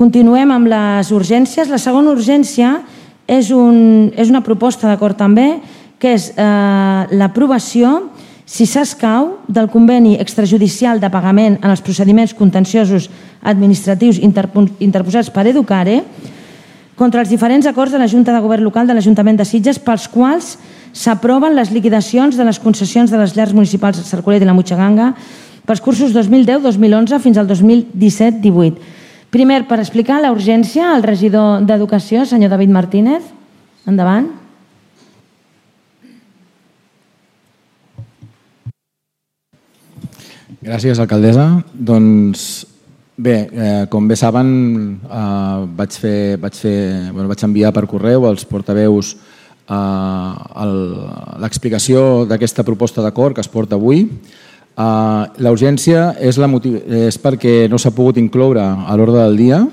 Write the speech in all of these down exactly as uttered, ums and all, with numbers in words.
Continuem amb les urgències. La segona urgència és una proposta d'acord també, que és l'aprovació, si s'escau, del conveni extrajudicial de pagament en els procediments contenciosos administratius interposats per Educare contra els diferents acords de la Junta de Govern Local de l'Ajuntament de Sitges pels quals s'aproven les liquidacions de les concessions de les llars municipals de Sarcolet i la Mutxaganga pels cursos dos mil deu dos mil onze fins al dos mil disset divuit. Primer, per explicar la urgència, el regidor d'Educació, senyor David Martínez. Endavant. Gràcies, alcaldessa. Doncs bé, com bé saben, vaig enviar per correu als portaveus l'explicació d'aquesta proposta d'acord que es porta avui. La urgència és perquè no s'ha pogut incloure a l'ordre del dia,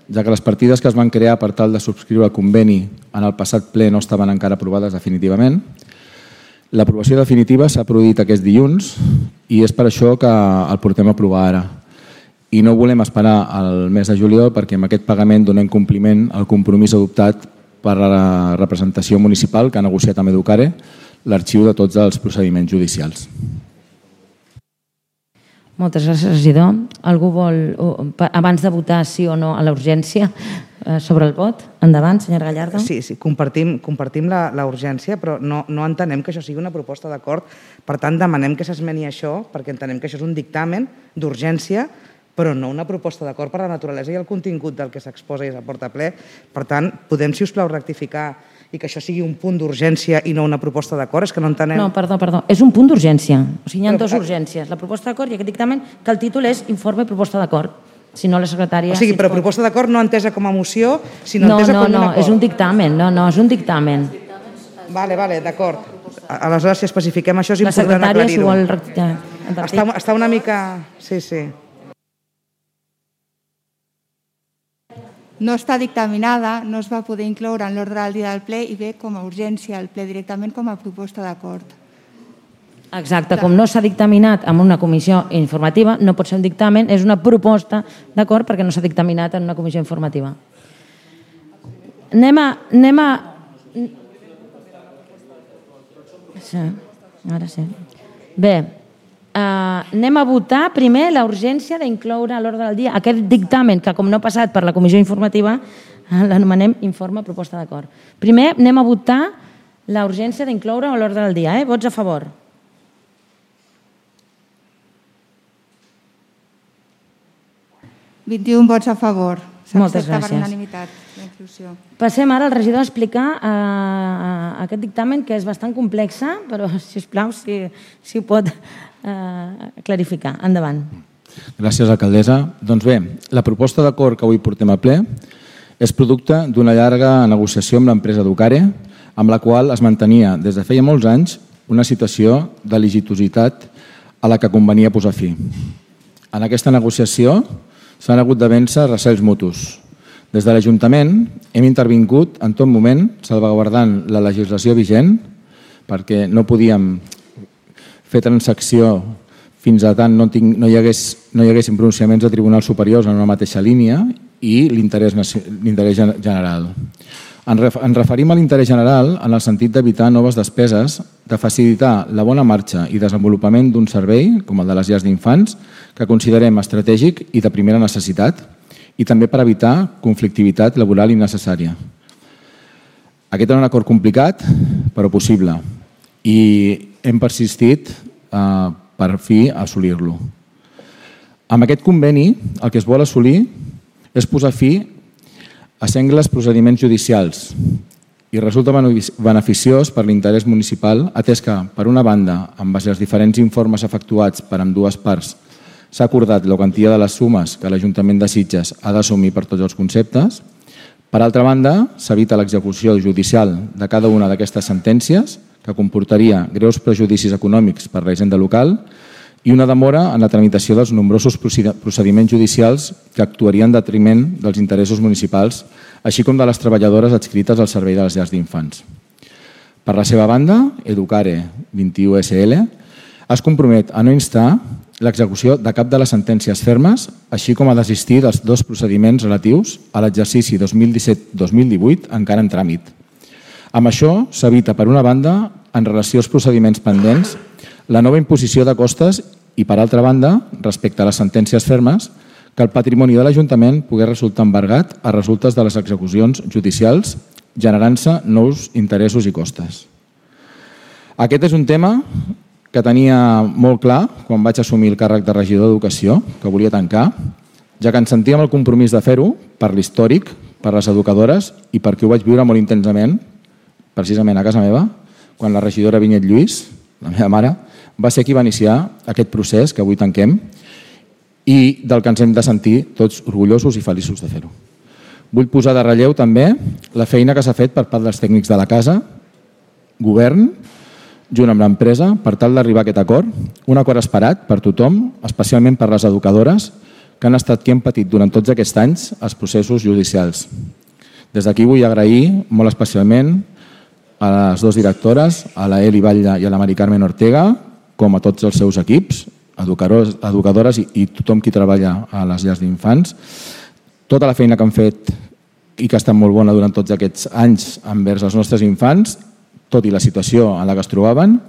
ja que les partides que es van crear per tal de subscriure el conveni en el passat ple no estaven encara aprovades definitivament. L'aprovació definitiva s'ha produït aquest dilluns i és per això que el portem a aprovar ara. I no volem esperar al mes de juliol perquè amb aquest pagament donem compliment al compromís adoptat per la representació municipal que ha negociat amb Educare l'arxiu de tots els procediments judicials. Moltes gràcies, regidor. Algú vol, abans de votar sí o no a la urgència, sobre el vot? Endavant, senyora Gallardo. Sí, sí, compartim la urgència, però no entenem que això sigui una proposta d'acord. Per tant, demanem que s'esmeni això, perquè entenem que això és un dictamen d'urgència, però no una proposta d'acord per la naturalesa i el contingut del que s'exposa i s'aporta a ple. Per tant, podem, si us plau, rectificar i que això sigui un punt d'urgència i no una proposta d'acord? És que no entenem... No, perdó, perdó. És un punt d'urgència. O sigui, hi ha dues urgències. La proposta d'acord i aquest dictamen, que el títol és informe i proposta d'acord. Si no, la secretària... O sigui, però proposta d'acord no entesa com a moció, sinó entesa com un acord. No, no, és un dictamen. No, no, és un dictamen. Vale, vale, d'acord. Aleshores, si especifiquem això, és important aclarir-ho. La secretària, si vol... Està una mica... Sí, sí. No està dictaminada, no es va poder incloure en l'ordre del dia del ple i ve com a urgència al ple directament com a proposta d'acord. Exacte, com no s'ha dictaminat en una comissió informativa, no pot ser un dictamen, és una proposta d'acord perquè no s'ha dictaminat en una comissió informativa. Anem a... Anem a... Sí, ara sí. Bé, anem a votar primer la urgència d'incloure a l'ordre del dia aquest dictamen que, com no ha passat per la comissió informativa, l'anomenem informe proposta d'acord. Primer anem a votar la urgència d'incloure a l'ordre del dia. Vots a favor? vint-i-un vots a favor. Moltes S'accepta per gràcies. unanimitat la inclusió. Passem ara al regidor a explicar aquest dictamen que és bastant complex, però, sisplau, si ho pot clarificar. Endavant. Gràcies, alcaldessa. Doncs bé, la proposta d'acord que avui portem a ple és producte d'una llarga negociació amb l'empresa Educare, amb la qual es mantenia des de feia molts anys una situació de litigiositat a la que convenia posar fi. En aquesta negociació s'han hagut de vèncer recels mutus. Des de l'Ajuntament hem intervingut en tot moment salvaguardant la legislació vigent perquè no podíem fer transacció fins a tant no hi haguessin pronunciaments de tribunals superiors en una mateixa línia i l'interès general. Ens referim a l'interès general en el sentit d'evitar noves despeses, de facilitar la bona marxa i desenvolupament d'un servei, com el de les llars d'infants, que considerem estratègic i de primera necessitat, i també per evitar conflictivitat laboral innecessària. Aquest era un acord complicat, però possible, i hem persistit per fi assolir-lo. Amb aquest conveni, el que es vol assolir és posar fi a sengles procediments judicials i resulta beneficiós per l'interès municipal, atès que, per una banda, en base als diferents informes efectuats per ambdues parts, s'ha acordat la quantia de les sumes que l'Ajuntament de Sitges ha d'assumir per tots els conceptes. Per altra banda, s'evita l'execució judicial de cada una d'aquestes sentències, que comportaria greus prejudicis econòmics per la hisenda local i una demora en la tramitació dels nombrosos procediments judicials que actuarien en detriment dels interessos municipals, així com de les treballadores adscrites al servei de les llars d'infants. Per la seva banda, Educare vint i u S L es compromet a no instar l'execució de cap de les sentències fermes, així com a desistir dels dos procediments relatius a l'exercici dos mil disset dos mil divuit encara en tràmit. Amb això s'evita, per una banda, en relació als procediments pendents, la nova imposició de costes i, per altra banda, respecte a les sentències fermes, que el patrimoni de l'Ajuntament pogués resultar embargat a resultes de les execucions judicials, generant-se nous interessos i costes. Aquest és un tema que tenia molt clar quan vaig assumir el càrrec de regidor d'Educació, que volia tancar, ja que ens sentíem el compromís de fer-ho per l'històric, per les educadores i perquè ho vaig viure molt intensament, precisament a casa meva, quan la regidora Vinyet Lluís, la meva mare, va ser qui va iniciar aquest procés que avui tanquem i del que ens hem de sentir tots orgullosos i feliços de fer-ho. Vull posar de relleu també la feina que s'ha fet per part dels tècnics de la casa, govern, junt amb l'empresa, per tal d'arribar a aquest acord, un acord esperat per tothom, especialment per les educadores, que han estat qui han patit durant tots aquests anys els processos judicials. Des d'aquí vull agrair molt especialment a les dues directores, a la Eli Batlle i a la Mari Carmen Ortega, com a tots els seus equips, educadores, educadores i, i tothom qui treballa a les llars d'infants. Tota la feina que han fet i que ha estat molt bona durant tots aquests anys envers els nostres infants, tot i la situació en la que es trobaven,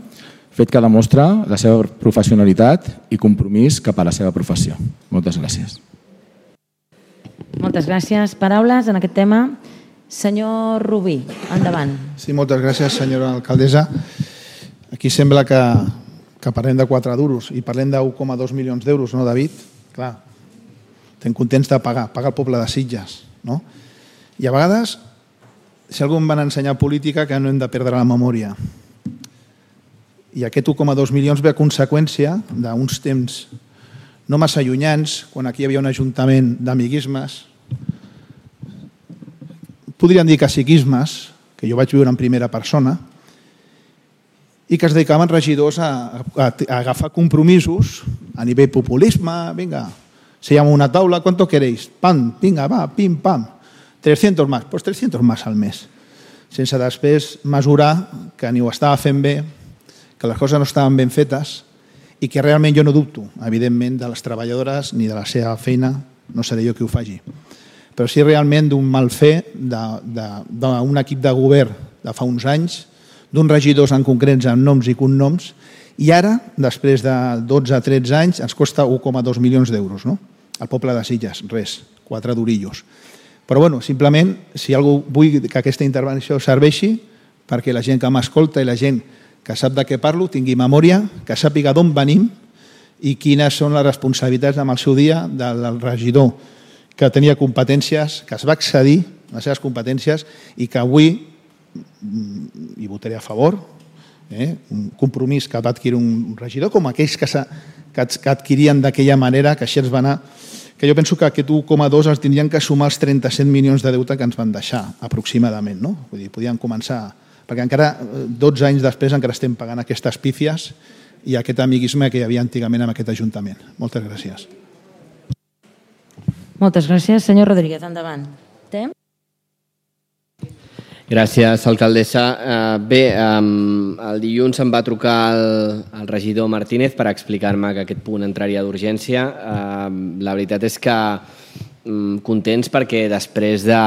fet que demostra la seva professionalitat i compromís cap a la seva professió. Moltes gràcies. Moltes gràcies. Paraules en aquest tema. Senyor Rubí, endavant. Sí, moltes gràcies, senyora alcaldessa. Aquí sembla que, que parlem de quatre duros i parlem d'un coma dos milions d'euros, no, David? Clar, estem contents de pagar, pagar el poble de Sitges, no? I a vegades, si algú em van ensenyar política, que no hem de perdre la memòria. I aquest un coma dos milions ve a conseqüència d'uns temps no massa allunyants, quan aquí hi havia un ajuntament d'amiguismes, podríem dir caciquismes, que jo vaig viure en primera persona, i que es dedicaven regidors a, a, a agafar compromisos a nivell populisme, vinga, seiem una taula, ¿cuánto queréis? Pam, vinga, va, pim, pam, trescientos más, pues trescientos más al mes, sense després mesurar que ni ho estava fent bé, que les coses no estaven ben fetes i que realment jo no dubto, evidentment, de les treballadores ni de la seva feina, no seré jo qui ho faci, però sí realment d'un mal fer d'un equip de govern de fa uns anys, d'uns regidors en concrets amb noms i cognoms, i ara, després de dotze a tretze anys, ens costa un coma dos milions d'euros, no? Al poble de Sitges, res, quatre durillos. Però, bueno, simplement, si algú vull que aquesta intervenció serveixi perquè la gent que m'escolta i la gent que sap de què parlo tingui memòria, que sàpiga d'on venim i quines són les responsabilitats amb el seu dia del regidor que tenia competències, que es va excedir les seves competències i que avui hi votaré a favor, eh? Un compromís que va adquirir un regidor com aquells que, que adquirien d'aquella manera, que així ens va anar, que jo penso que aquest un coma dos els tindrien que sumar els trenta-set milions de deute que ens van deixar, aproximadament, no? Vull dir, podien començar, perquè encara dotze anys després encara estem pagant aquestes pífies i aquest amiguisme que hi havia antigament en aquest Ajuntament. Moltes gràcies. Moltes gràcies. Senyor Rodríguez, endavant. Té? Gràcies, alcaldessa. Bé, el dilluns em va trucar el regidor Martínez per explicar-me que aquest punt entraria d'urgència. La veritat és que contents perquè després de,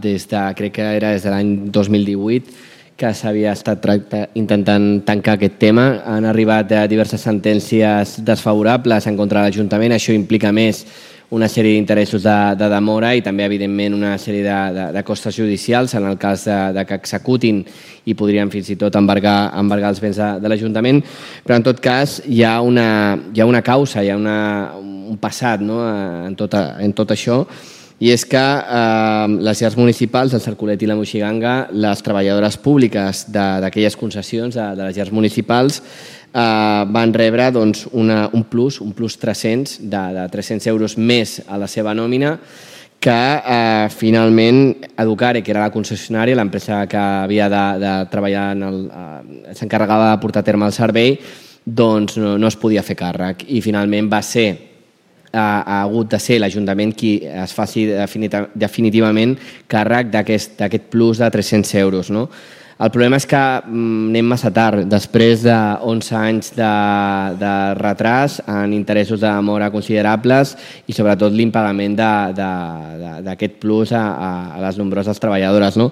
des de, crec que era des de l'any dos mil divuit, que s'havia estat intentant tancar aquest tema, han arribat diverses sentències desfavorables en contra de l'Ajuntament. Això implica més una sèrie d'interessos de, de demora i també, evidentment, una sèrie de, de, de costes judicials en el cas de, de que executin i podrien fins i tot embargar, embargar els béns de, de l'Ajuntament. Però, en tot cas, hi ha una, hi ha una causa, hi ha una, un passat, no?, en, tot, en tot això, i és que eh, les llars municipals, el Cercolet i la Moixiganga, les treballadores públiques d'aquelles concessions de, de les llars municipals, Uh, van rebre doncs, una, un plus, un plus tres-cents, de, de tres-cents euros més a la seva nòmina, que uh, finalment Educare, que era la concessionària, l'empresa que havia de, de treballar, uh, s'encarregava de portar a terme el servei, doncs no, no es podia fer càrrec. I finalment va ser, uh, ha hagut de ser l'Ajuntament qui es faci definitivament càrrec d'aquest plus de tres-cents euros, no? El problema és que anem massa tard. Després d'onze anys de, de retras en interessos de demora considerables i sobretot l'impagament d'aquest plus a, a les nombroses treballadores. No?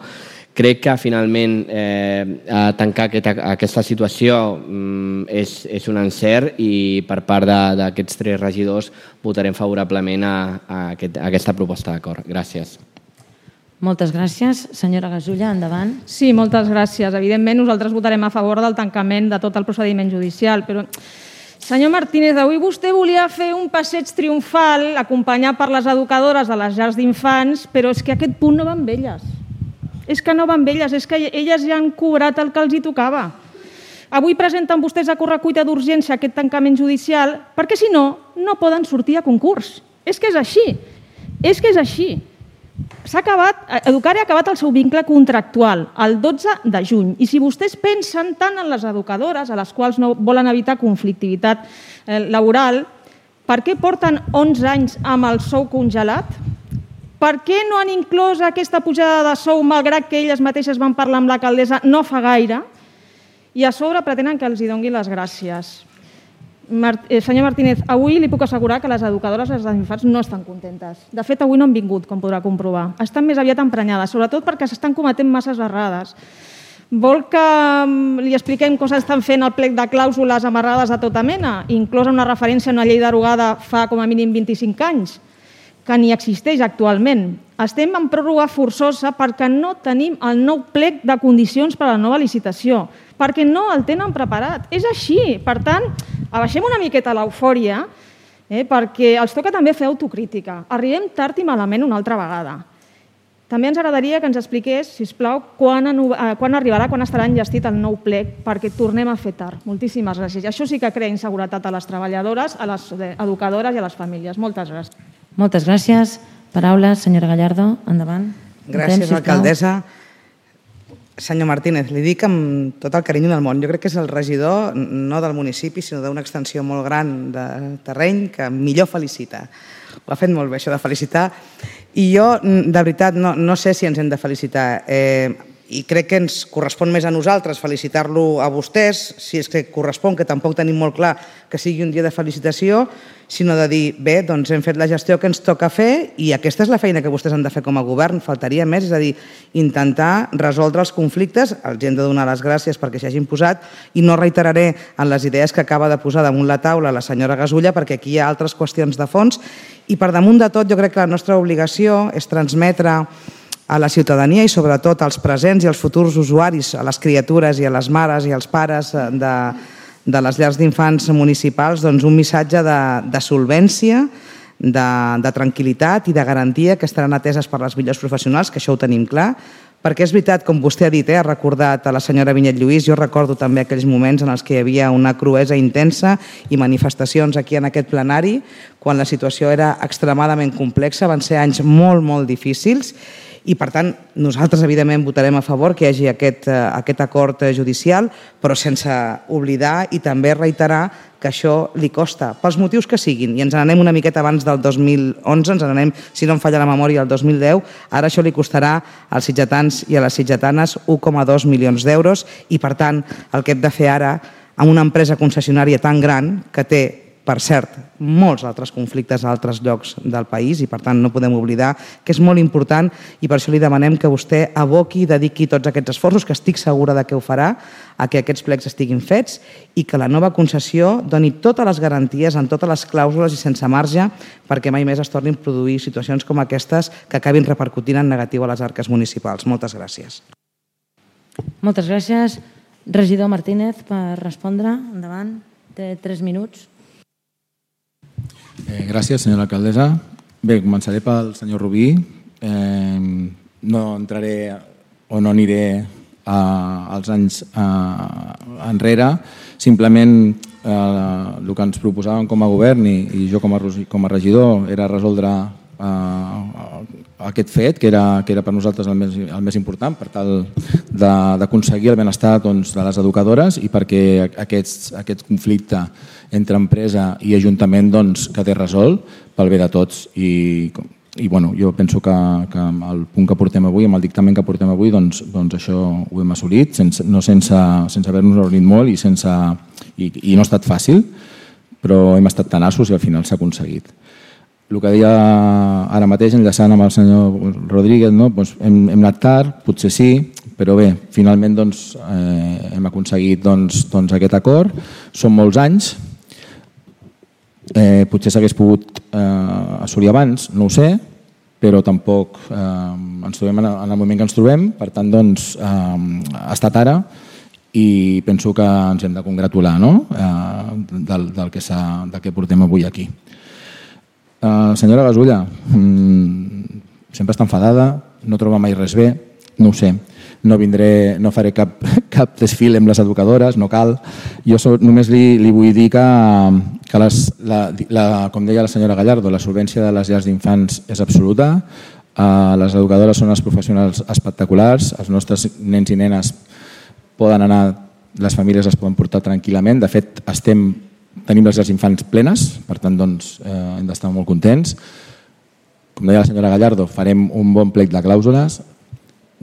Crec que finalment eh, tancar aquesta, aquesta situació mm, és, és un encert i per part d'aquests tres regidors votarem favorablement a, a, aquest, a aquesta proposta d'acord. Gràcies. Moltes gràcies. Senyora Gasulla, endavant. Sí, moltes gràcies. Evidentment, nosaltres votarem a favor del tancament de tot el procediment judicial, però, senyor Martínez, avui vostè volia fer un passeig triomfal acompanyat per les educadores de les llars d'infants, però és que aquest punt no va amb elles. És que no va amb elles, és que elles ja han cobrat el que els hi tocava. Avui presenten vostès a correcuita d'urgència aquest tancament judicial perquè, si no, no poden sortir a concurs. És que és així. És que és així. S'ha acabat, Educare ha acabat el seu vincle contractual el dotze de juny i si vostès pensen tant en les educadores a les quals no volen evitar conflictivitat laboral, per què porten onze anys amb el sou congelat? Per què no han inclòs aquesta pujada de sou malgrat que elles mateixes van parlar amb l'alcaldessa no fa gaire? I a sobre pretenen que els hi donguin les gràcies. Senyor Martínez, avui li puc assegurar que les educadores i les infants no estan contentes. De fet, avui no han vingut, com podrà comprovar. Estan més aviat emprenyades, sobretot perquè s'estan cometent masses errades. Vol que li expliquem com s'estan fent el plec de clàusules amarrades de tota mena, inclosa una referència a una llei derogada fa com a mínim vint-i-cinc anys, que ni existeix actualment. Estem en pròrroga forçosa perquè no tenim el nou plec de condicions per a la nova licitació, perquè no el tenen preparat. És així. Per tant, abaixem una miqueta l'eufòria, eh, perquè els toca també fer autocrítica. Arribem tard i malament una altra vegada. També ens agradaria que ens expliqués, sisplau, quan, quan arribarà, quan estarà enllestit el nou plec, perquè tornem a fer tard. Moltíssimes gràcies. Això sí que crea inseguretat a les treballadores, a les educadores i a les famílies. Moltes gràcies. Moltes gràcies. Paraules, senyora Gallardo, endavant. Gràcies, alcaldessa. Senyor Martínez, li dic amb tot el carinyo del món. Jo crec que és el regidor, no del municipi, sinó d'una extensió molt gran de terreny que millor felicita. Ho ha fet molt bé, això de felicitar. I jo, de veritat, no, no sé si ens hem de felicitar. Eh, I crec que ens correspon més a nosaltres felicitar-lo a vostès, si és que correspon, que tampoc tenim molt clar que sigui un dia de felicitació, sinó de dir, bé, doncs hem fet la gestió que ens toca fer i aquesta és la feina que vostès han de fer com a govern, faltaria més, és a dir, intentar resoldre els conflictes, els hem de donar les gràcies perquè s'hi hagin posat i no reiteraré en les idees que acaba de posar damunt la taula la senyora Gasulla perquè aquí hi ha altres qüestions de fons i per damunt de tot jo crec que la nostra obligació és transmetre a la ciutadania i sobretot als presents i als futurs usuaris, a les criatures i a les mares i als pares de, de les llars d'infants municipals doncs un missatge de, de solvència, de, de tranquil·litat i de garantia que estaran ateses per les millors professionals, que això ho tenim clar, perquè és veritat, com vostè ha dit, eh, ha recordat a la senyora Vinyet Lluís, jo recordo també aquells moments en els que hi havia una cruesa intensa i manifestacions aquí en aquest plenari, quan la situació era extremadament complexa, van ser anys molt, molt difícils, i per tant nosaltres evidentment votarem a favor que hi hagi aquest, aquest acord judicial, però sense oblidar i també reiterar que això li costa, pels motius que siguin, i ens n'anem una miqueta abans del dos mil onze, ens n'anem, si no em falla la memòria, el dos mil deu, ara això li costarà als sitgetans i a les sitgetanes un coma dos milions d'euros i per tant el que hem de fer ara amb una empresa concessionària tan gran que té, per cert, molts altres conflictes a altres llocs del país i per tant no podem oblidar que és molt important i per això li demanem que vostè aboqui i dediqui tots aquests esforços, que estic segura de que ho farà, a que aquests plecs estiguin fets i que la nova concessió doni totes les garanties en totes les clàusules i sense marge perquè mai més es tornin a produir situacions com aquestes que acabin repercutint en negatiu a les arques municipals. Moltes gràcies. Moltes gràcies. Regidor Martínez, per respondre. Endavant. Té tres minuts. Eh, gràcies, senyora alcaldessa. Bé, començaré pel senyor Rubí. Eh, no entraré o no aniré a, als anys a, enrere. Simplement eh, el que ens proposàvem com a govern i, i jo com a, com a regidor era resoldre eh, aquest fet, que era, que era per nosaltres el més, el més important, per tal d'aconseguir el benestar doncs, de les educadores i perquè aquests, aquest conflicte entre empresa i ajuntament doncs, quedi resolt pel bé de tots. I i bueno, jo penso que, que amb el punt que portem avui, amb el dictamen que portem avui, doncs, doncs això ho hem assolit, sense, no sense, sense haver-nos reunit molt i, sense, i, i no ha estat fàcil, però hem estat tenaços i al final s'ha aconseguit. El que deia ara mateix, enllaçant amb el senyor Rodríguez, no? Doncs hem, hem anat tard, potser sí, però bé, finalment doncs, eh, hem aconseguit doncs, doncs aquest acord. Són molts anys, eh, potser s'hagués pogut eh, assolir abans, no ho sé, però tampoc eh, ens trobem en el moment que ens trobem, per tant doncs, eh, ha estat ara i penso que ens hem de congratular, no? eh, del, del, que del que portem avui aquí. Uh, senyora Gasulla, mm, sempre està enfadada, no troba mai res bé, no ho sé, no vindré, no faré cap, cap desfile amb les educadores, no cal. Jo so, només li, li vull dir que, que les, la, la, com deia la senyora Gallardo, la solvència de les llars d'infants és absoluta, uh, les educadores són els professionals espectaculars, els nostres nens i nenes poden anar, les famílies es poden portar tranquil·lament, de fet estem tenim les llars d'infants plenes, per tant doncs, eh, hem d'estar molt contents. Com deia la senyora Gallardo, farem un bon plec de clàusules,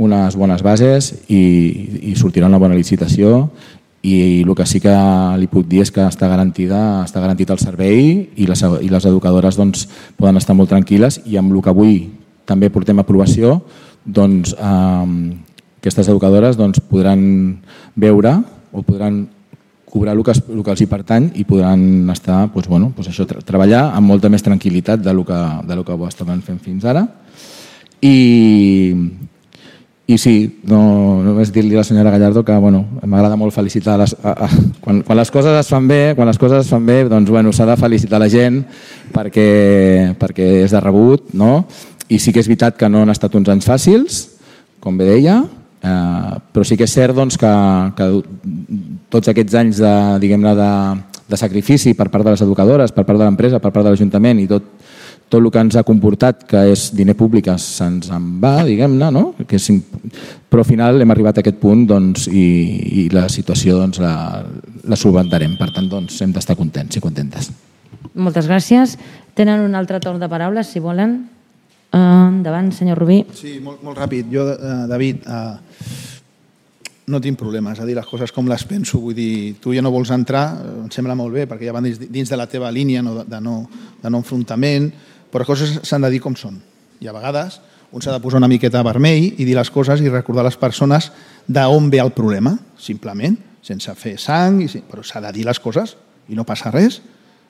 unes bones bases i, i sortirà una bona licitació i el que sí que li puc dir és que està, garantida, està garantit el servei i les, i les educadores doncs, poden estar molt tranquil·les i amb el que avui també portem a aprovació, doncs, eh, aquestes educadores doncs, podran veure o podran cobrar el que, el que els hi pertany i podran estar, doncs, bueno, doncs això, tra treballar amb molta més tranquil·litat del que, del que ho estaven fent fins ara. I, i sí, no, només dir-li a la senyora Gallardo que bueno, m'agrada molt felicitar, les, a, a, quan, quan les coses es fan bé, quan les coses es fan bé, doncs bueno, s'ha de felicitar la gent perquè, perquè és de rebut, no? I sí que és veritat que no han estat uns anys fàcils, com bé deia, Uh, però sí que és cert doncs, que, que tots aquests anys de, diguem-ne, de, de sacrifici per part de les educadores, per part de l'empresa, per part de l'Ajuntament i tot, tot el que ens ha comportat, que és diner públic, se'ns en va, diguem-ne, no? Que és, però al final hem arribat a aquest punt doncs, i, i la situació doncs, la, la solventarem. Per tant, doncs, hem d'estar contents i contentes. Moltes gràcies. Tenen un altre torn de paraules, si volen. Uh, endavant, senyor Rubí. Sí, molt, molt ràpid. Jo, uh, David, uh, no tinc problemes a dir les coses com les penso. Vull dir, tu ja no vols entrar, em sembla molt bé, perquè ja van dins, dins de la teva línia no, de, no, de no enfrontament, però les coses s'han de dir com són. I a vegades un s'ha de posar una miqueta vermell i dir les coses i recordar a les persones d'on ve el problema, simplement, sense fer sang, i, però s'ha de dir les coses i no passa res.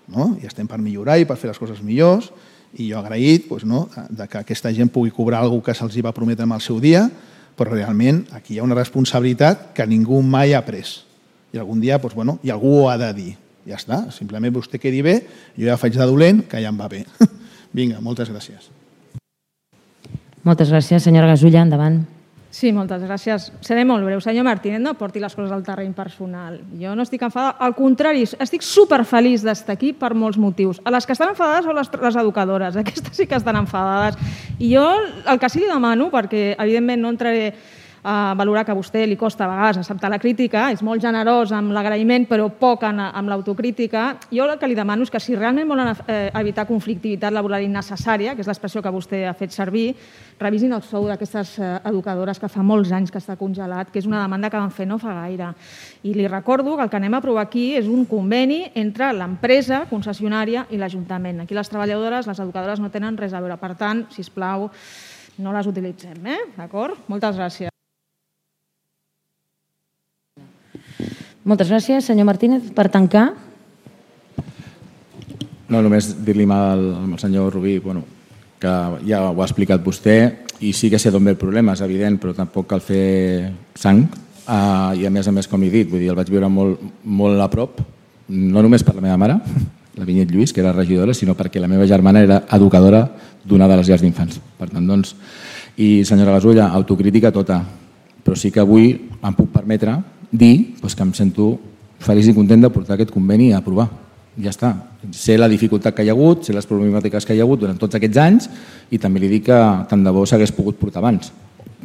No? I estem per millorar i per fer les coses millors. I jo agraït doncs, no, de que aquesta gent pugui cobrar alguna cosa que se'ls va prometre en el seu dia, però realment aquí hi ha una responsabilitat que ningú mai ha pres. I algun dia doncs, bueno, i algú ho ha de dir. Ja està, simplement vostè quedi bé, jo ja faig de dolent, que ja em va bé. Vinga, moltes gràcies. Moltes gràcies, senyora Gasulla, endavant. Sí, moltes gràcies. Seré molt breu. Senyor Martínez, no porti les coses al terreny personal. Jo no estic enfadada. Al contrari, estic superfeliç d'estar aquí per molts motius. A les que estan enfadades són les, les educadores. Aquestes sí que estan enfadades. I jo el que sí li demano, perquè evidentment no entraré a valorar que a vostè li costa a vegades acceptar la crítica, és molt generós amb l'agraïment però poc amb l'autocrítica. Jo el que li demano és que si realment volen evitar conflictivitat laboral innecessària, que és l'expressió que vostè ha fet servir, revisin el sou d'aquestes educadores que fa molts anys que està congelat, que és una demanda que van fer no fa gaire. I li recordo que el que anem a aprovar aquí és un conveni entre l'empresa concessionària i l'Ajuntament. Aquí les treballadores, les educadores no tenen res a veure. Per tant, sisplau, no les utilitzem, eh? D'acord? Moltes gràcies. Moltes gràcies. Senyor Martínez, per tancar. No, només dir-li al, al senyor Rubí bueno, que ja ho ha explicat vostè i sí que sé d'on ve el problema, és evident, però tampoc cal fer sang. Uh, I a més a més, com he dit, vull dir, el vaig viure molt, molt a prop, no només per la meva mare, la Vinyet Lluís, que era regidora, sinó perquè la meva germana era educadora d'una de les llars d'infants. Per tant, doncs, i senyora Gasulla, autocrítica tota, però sí que avui em puc permetre dir doncs, que em sento feliç i content de portar aquest conveni a aprovar. Ja està. Sé la dificultat que hi ha hagut, sé les problemàtiques que hi ha hagut durant tots aquests anys i també li dic que tant de bo s'hagués pogut portar abans.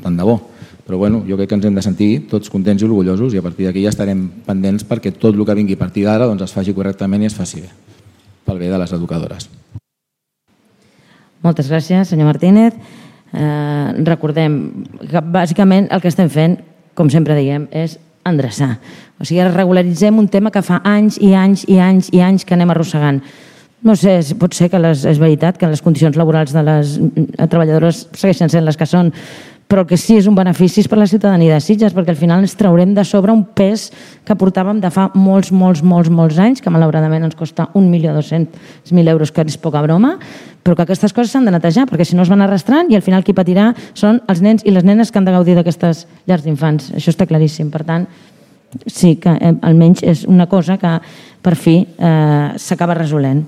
Tant de bo. Però bueno, jo crec que ens hem de sentir tots contents i orgullosos i a partir d'aquí ja estarem pendents perquè tot el que vingui a partir d'ara doncs, es faci correctament i es faci bé, pel bé de les educadores. Moltes gràcies, senyor Martínez. Eh, recordem que bàsicament el que estem fent, com sempre diem, és endreçar. O sigui, regularitzem un tema que fa anys i anys i anys i anys que anem arrossegant. No sé, pot ser que les, és veritat que les condicions laborals de les treballadores segueixen sent les que són, però el que sí és un benefici és per la ciutadania de Sitges, perquè al final ens traurem de sobre un pes que portàvem de fa molts, molts, molts, molts anys, que malauradament ens costa un milió dos-cents mil euros, que és poca broma, però que aquestes coses s'han de netejar, perquè si no es van arrastrant i al final qui patirà són els nens i les nenes que han de gaudir d'aquestes llars d'infants. Això està claríssim. Per tant, sí que eh, almenys és una cosa que per fi eh, s'acaba resolent.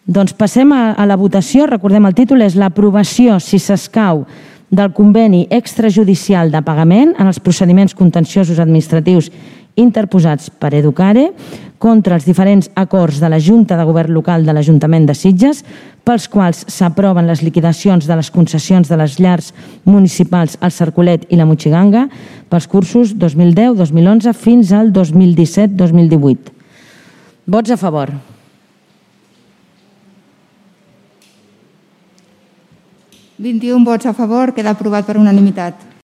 Doncs passem a, a la votació. Recordem, el títol és l'aprovació, si s'escau, del conveni extrajudicial de pagament en els procediments contenciosos administratius interposats per Educare contra els diferents acords de la Junta de Govern Local de l'Ajuntament de Sitges, pels quals s'aproven les liquidacions de les concessions de les llars municipals al Cercolet i la Motxiganga pels cursos dos mil deu dos mil onze fins al dos mil disset dos mil divuit. Vots a favor. vint-i-un vots a favor, queda aprovat per unanimitat.